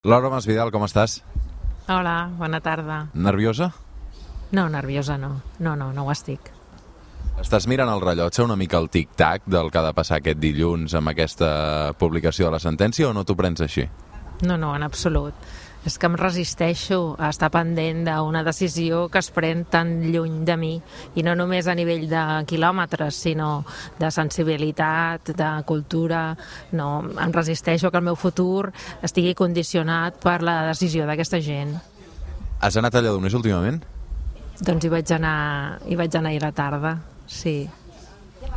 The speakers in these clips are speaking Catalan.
Laura Masvidal, com estàs? Hola, bona tarda. Nerviosa? No, nerviosa no. No ho estic. Estàs mirant el rellotge una mica el tic-tac del que ha de passar aquest dilluns amb aquesta publicació de la sentència o no t'ho prens així? No, en absolut. És que em resisteixo a estar pendent d'una decisió que es pren tan lluny de mi, i no només a nivell de quilòmetres, sinó de sensibilitat, de cultura. No, em resisteixo que el meu futur estigui condicionat per la decisió d'aquesta gent. Has anat a Lledoners últimament? Doncs hi vaig anar ahir a la tarda, sí.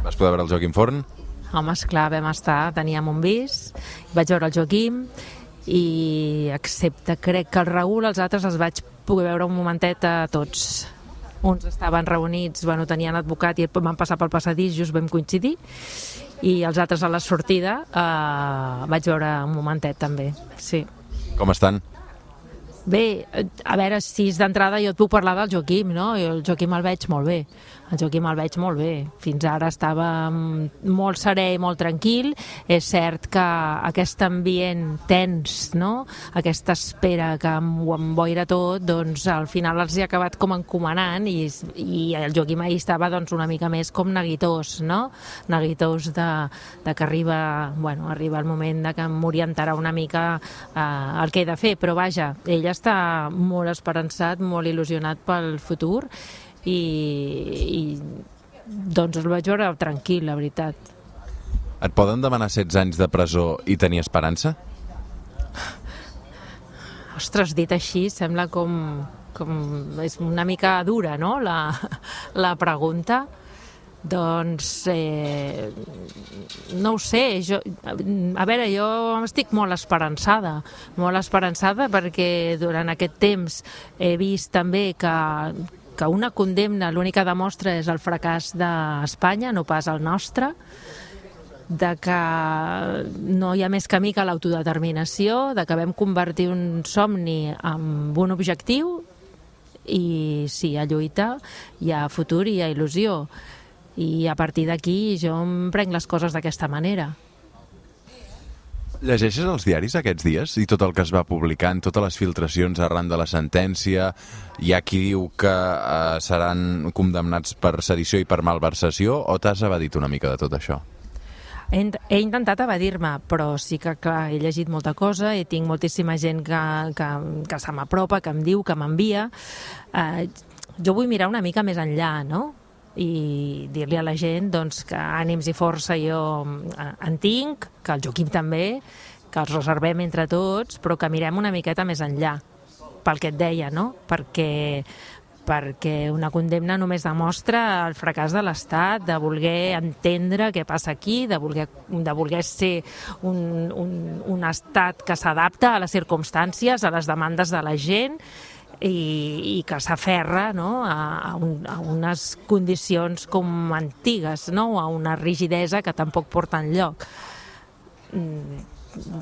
Vas poder veure el Joaquim Forn? Home, esclar, vam estar, teníem un bis, vaig veure el Joaquim, i excepte, crec que el Raül, els altres els vaig poder veure un momentet a tots. Uns estaven reunits, tenien advocat i van passar pel passadís, just vam coincidir, i els altres a la sortida vaig veure un momentet també, sí. Com estan? Bé, a veure, si és d'entrada jo et puc parlar del Joaquim, no? Jo el Joaquim el veig molt bé. Fins ara estava molt serè i molt tranquil. És cert que aquest ambient tens, no? Aquesta espera que ho emboira tot, doncs al final els hi ha acabat com encomanant, i el Joaquim ahir estava una mica més com neguitós, no? Neguitós de que arriba el moment de que m'orientarà una mica el que he de fer, però vaja, ell està molt esperançat, molt il·lusionat pel futur, i doncs el vaig veure tranquil, la veritat. Et poden demanar 16 anys de presó i tenir esperança? Ostres, dit així sembla com és una mica dura, no?, la pregunta. Doncs no ho sé, jo estic molt esperançada perquè durant aquest temps he vist també que una condemna l'únic que demostra és el fracàs d'Espanya, no pas el nostre, de que no hi ha més camí que l'autodeterminació, de que vam convertir un somni en un objectiu, i sí, hi ha lluita, hi ha futur i hi ha il·lusió. I a partir d'aquí jo em prenc les coses d'aquesta manera. Llegeixes els diaris aquests dies i tot el que es va publicant, totes les filtracions arran de la sentència? Hi ha qui diu que seran condemnats per sedició i per malversació, o t'has evadit una mica de tot això? He intentat evadir-me, però sí que, clar, he llegit molta cosa i tinc moltíssima gent que se m'apropa, que em diu, que m'envia. Jo vull mirar una mica més enllà, no?, i dir-li a la gent que ànims i força jo en tinc, que el Joaquim també, que els reservem entre tots, però que mirem una miqueta més enllà, pel que et deia, no? Perquè una condemna només demostra el fracàs de l'Estat, de voler entendre què passa aquí, de voler ser un estat que s'adapta a les circumstàncies, a les demandes de la gent, i que s'aferra, no?, a unes condicions com antigues, no?, a una rigidesa que tampoc porta enlloc.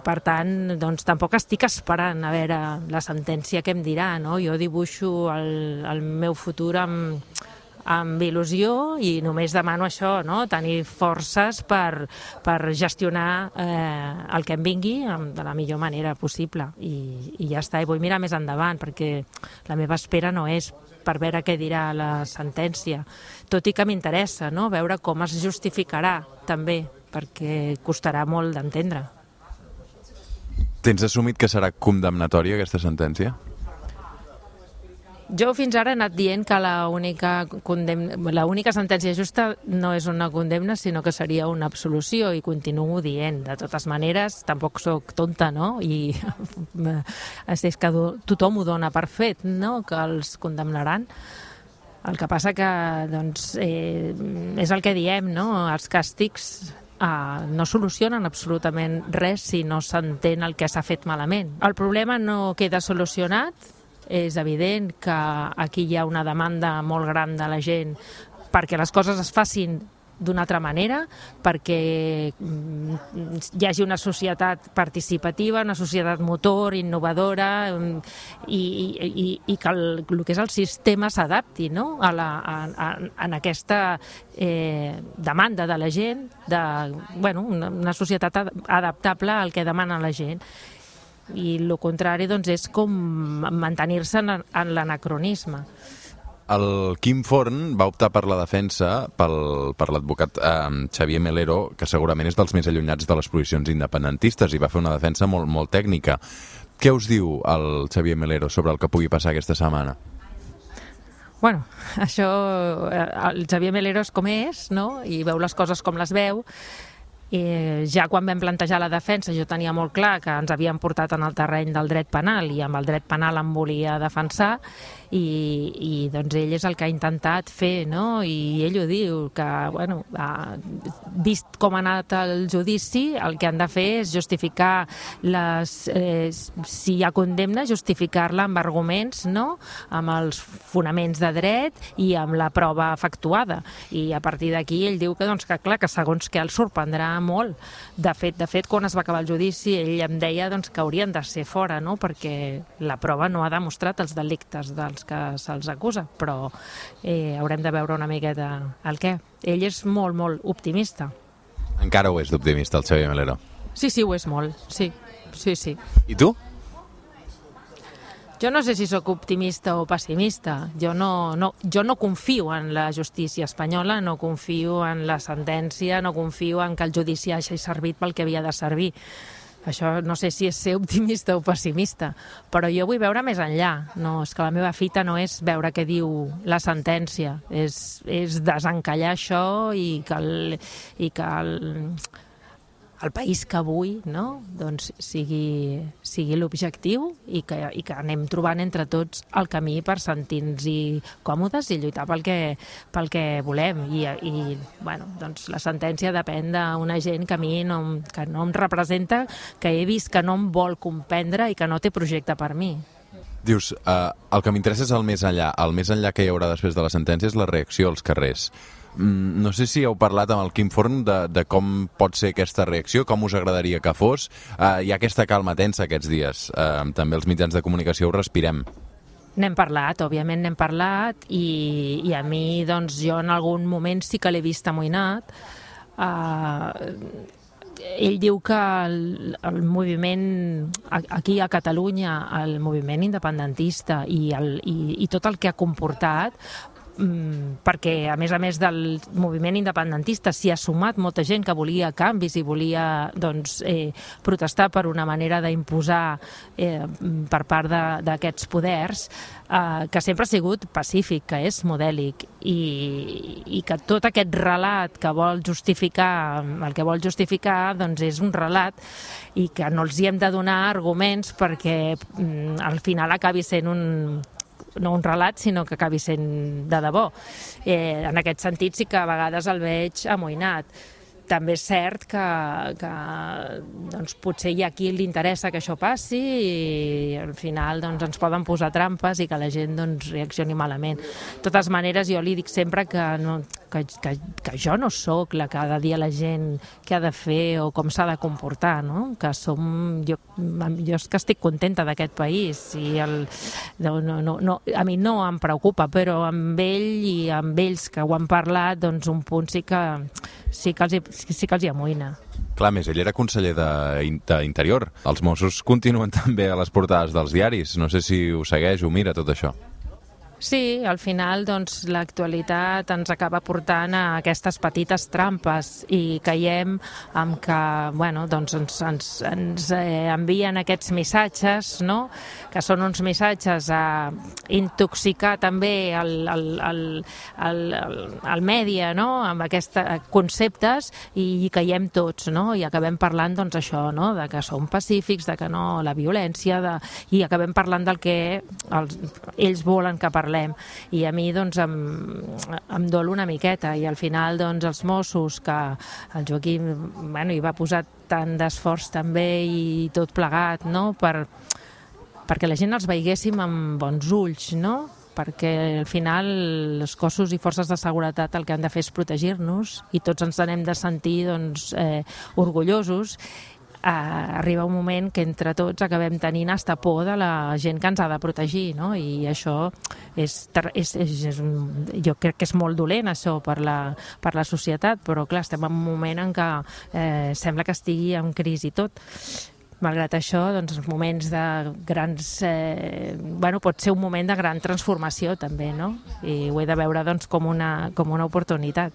Per tant, doncs tampoc estic esperant a veure la sentència que em dirà, no? Jo dibuixo el meu futur amb il·lusió, i només demano això, no?, tenir forces per gestionar el que em vingui de la millor manera possible, i ja està. I vull mirar més endavant, perquè la meva espera no és per veure què dirà la sentència, tot i que m'interessa, no?, veure com es justificarà també, perquè costarà molt d'entendre. Tens assumit que serà condemnatòria aquesta sentència? Jo fins ara he anat dient que l'única sentència justa no és una condemna, sinó que seria una absolució, i continuo dient. De totes maneres, tampoc sóc tonta, no? I és que tothom ho dona per fet, no?, que els condemnaran. El que passa que, doncs, és el que diem, no? Els càstigs no solucionen absolutament res si no s'entén el que s'ha fet malament. El problema no queda solucionat. És evident que aquí hi ha una demanda molt gran de la gent perquè les coses es facin d'una altra manera, perquè hi hagi una societat participativa, una societat motor, innovadora, i que el que és el sistema s'adapti, no?, en aquesta demanda de la gent, una societat adaptable al que demana la gent. i el contrari doncs, és com mantenir-se en l'anacronisme. El Quim Forn va optar per la defensa per l'advocat Xavier Melero, que segurament és dels més allunyats de les posicions independentistes, i va fer una defensa molt, molt tècnica. Què us diu el Xavier Melero sobre el que pugui passar aquesta setmana? Bueno, això, el Xavier Melero és com és, no? I veu les coses com les veu. Ja quan vam plantejar la defensa jo tenia molt clar que ens havien portat en el terreny del dret penal i amb el dret penal em volia defensar i doncs ell és el que ha intentat fer, no? I ell ho diu, que, bueno, vist com ha anat el judici, el que han de fer és justificar si hi ha condemna, justificar-la amb arguments, no? Amb els fonaments de dret i amb la prova efectuada. I a partir d'aquí ell diu que, doncs, que clar, que segons que el sorprendrà molt. De fet, quan es va acabar el judici, ell em deia doncs, que haurien de ser fora, no? Perquè la prova no ha demostrat els delictes dels que se'ls acusa, però haurem de veure una miqueta el què. Ell és molt, molt optimista. Encara ho és d'optimista, el Xavier Melero? Sí, ho és molt, sí. I tu? Jo no sé si sóc optimista o pessimista. Jo no confio en la justícia espanyola, no confio en la sentència, no confio en que el judici hagi servit pel que havia de servir. Això no sé si és ser optimista o pessimista, però jo vull veure més enllà. No, és que la meva fita no és veure què diu la sentència, és desencallar això i que el país que vull, no? Doncs sigui l'objectiu i que anem trobant entre tots el camí per sentir-nos còmodes i lluitar pel que volem. I bueno, doncs la sentència depèn d'una gent que a mi que no em representa, que he vist que no em vol comprendre i que no té projecte per mi. Dius, el que m'interessa és el més enllà. El més enllà que hi haurà després de la sentència és la reacció als carrers. No sé si heu parlat amb el Quim Forn de com pot ser aquesta reacció, com us agradaria que fos. Hi ha aquesta calma tensa aquests dies. També els mitjans de comunicació ho respirem. N'hem parlat, òbviament n'hem parlat, i a mi, doncs, jo en algun moment sí que l'he vist amoïnat. Ell diu que el moviment aquí a Catalunya, el moviment independentista i tot el que ha comportat, perquè a més del moviment independentista s'hi ha sumat molta gent que volia canvis i volia doncs, protestar per una manera d'imposar per part d'aquests poders, que sempre ha sigut pacífic, que és modèlic, i que tot aquest relat que vol justificar, el que vol justificar doncs és un relat i que no els hi hem de donar arguments perquè al final acabi sent no un relat, sinó que acabi sent de debò. En aquest sentit sí que a vegades el veig amoïnat. També és cert que doncs, potser hi ha qui li interessa que això passi i al final doncs, ens poden posar trampes i que la gent doncs, reaccioni malament. De totes maneres, jo li dic sempre que jo no sóc la que ha de dir a la gent què ha de fer o com s'ha de comportar, no? Que jo és que estic contenta d'aquest país i a mi no em preocupa, però amb ell i amb ells que ho han parlat, doncs un punt sí que els hi amoïna. Clar, més, ell era conseller d'Interior. Els Mossos continuen també a les portades dels diaris. No sé si ho segueix o mira tot això. Sí, al final doncs, l'actualitat ens acaba portant a aquestes petites trampes i caiem en que bueno, doncs ens envien aquests missatges, no? Que són uns missatges a intoxicar també el mèdia, no? Amb aquests conceptes i caiem tots, no? I acabem parlant doncs, això, no? De que som pacífics, de que no la violència, i acabem parlant del que ells volen que parlem. I a mi doncs, em dol una miqueta i al final doncs, els Mossos, que el Joaquim hi va posar tant d'esforç també i tot plegat, no? Perquè la gent els veiéssim amb bons ulls, no? Perquè al final els cossos i forces de seguretat el que han de fer és protegir-nos i tots ens n'hem de sentir doncs, orgullosos. Arriba un moment que entre tots acabem tenint hasta por de la gent que ens ha de protegir, no? I això jo crec que és molt dolent això per la societat, però clar, estem en un moment en què sembla que estigui en crisi tot. malgrat això, doncs, els moments de grans... pot ser un moment de gran transformació, també, no? I ho he de veure, doncs, com una oportunitat.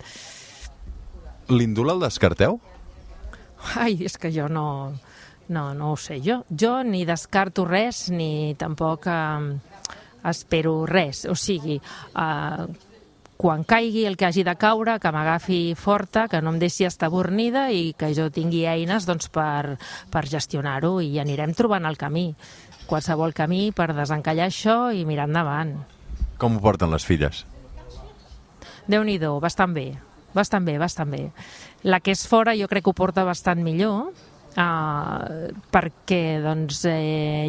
L'indult el descarteu? Ai, és que jo no ho sé. Jo ni descarto res, ni tampoc espero res. O sigui, quan caigui el que hagi de caure, que m'agafi forta, que no em deixi estabornida i que jo tingui eines, doncs, per gestionar-ho, i anirem trobant el camí. Qualsevol camí per desencallar això i mirar endavant. Com ho porten les filles? Déu-n'hi-do, bastant bé. Bastant bé. La que és fora jo crec que ho porta bastant millor, perquè doncs,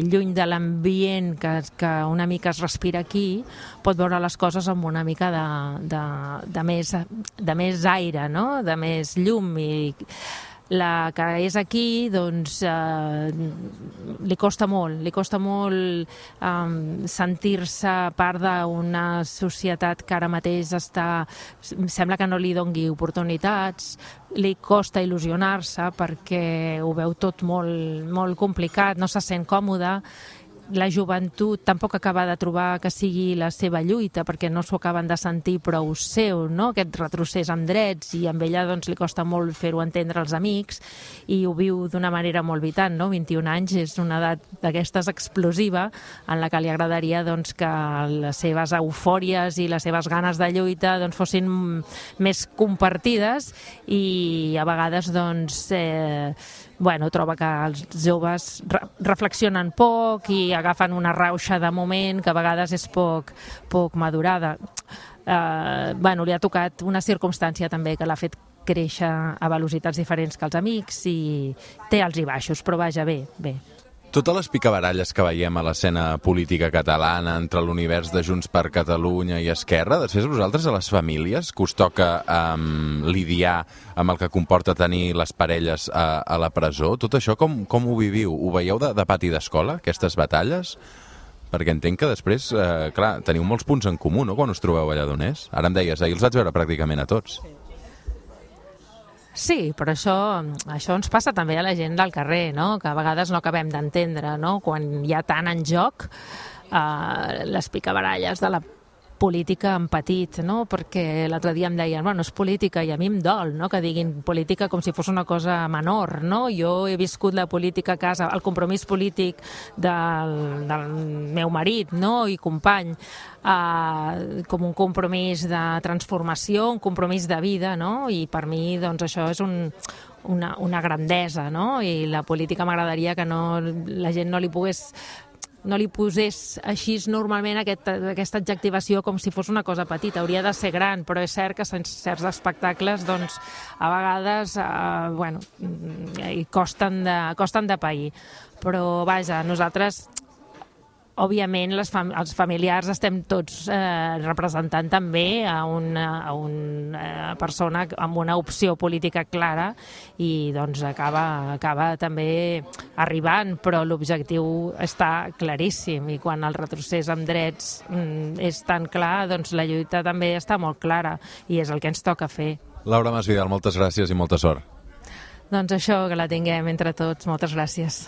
lluny de l'ambient que una mica es respira aquí, pot veure les coses amb una mica de més aire, no? De més llum. I la que és aquí, doncs, li costa molt sentir-se part d'una societat que ara mateix sembla que no li dongui oportunitats, li costa il·lusionar-se perquè ho veu tot molt complicat, no se sent còmoda. La joventut tampoc acaba de trobar que sigui la seva lluita, perquè no s'ho acaben de sentir prou seu, no? Aquest retrocés amb drets, i amb ella doncs, li costa molt fer-ho entendre als amics, i ho viu d'una manera molt vitant, no? 21 anys és una edat d'aquestes explosiva, en la que li agradaria doncs, que les seves eufòries i les seves ganes de lluita doncs, fossin més compartides, i a vegades doncs, troba que els joves reflexionen poc i agafen una rauxa de moment que a vegades és poc madurada. Li ha tocat una circumstància també que l'ha fet créixer a velocitats diferents que els amics, i té alts i baixos, però vaja, bé. Totes les picabaralles que veiem a l'escena política catalana entre l'univers de Junts per Catalunya i Esquerra, després vosaltres a les famílies que us toca lidiar amb el que comporta tenir les parelles a la presó, tot això com ho viviu? Ho veieu de pati d'escola, aquestes batalles? Perquè entenc que després, teniu molts punts en comú, no?, quan us trobeu a Lledoners. Ara em deies, ahir els vaig veure pràcticament a tots. Sí, però això ens passa també a la gent del carrer, no? Que a vegades no acabem d'entendre, no? Quan hi ha tant en joc, les picabaralles de la política en petit, no? Perquè l'altre dia em deien, és política, i a mi em dol, no?, que diguin política com si fos una cosa menor, no? Jo he viscut la política a casa, el compromís polític del meu marit, no?, i company, com un compromís de transformació, un compromís de vida, no? I per mi, doncs, això és una grandesa, no? I la política m'agradaria que la gent no li posés així normalment aquesta adjectivació com si fos una cosa petita. Hauria de ser gran, però és cert que certs espectacles doncs, a vegades costen de pair. Però vaja, nosaltres òbviament els familiars estem tots representant també a una persona amb una opció política clara, i doncs acaba també arribant, però l'objectiu està claríssim, i quan el retrocés amb drets és tan clar, doncs la lluita també està molt clara, i és el que ens toca fer. Laura Masvidal, moltes gràcies i molta sort. Doncs això, que la tinguem entre tots. Moltes gràcies.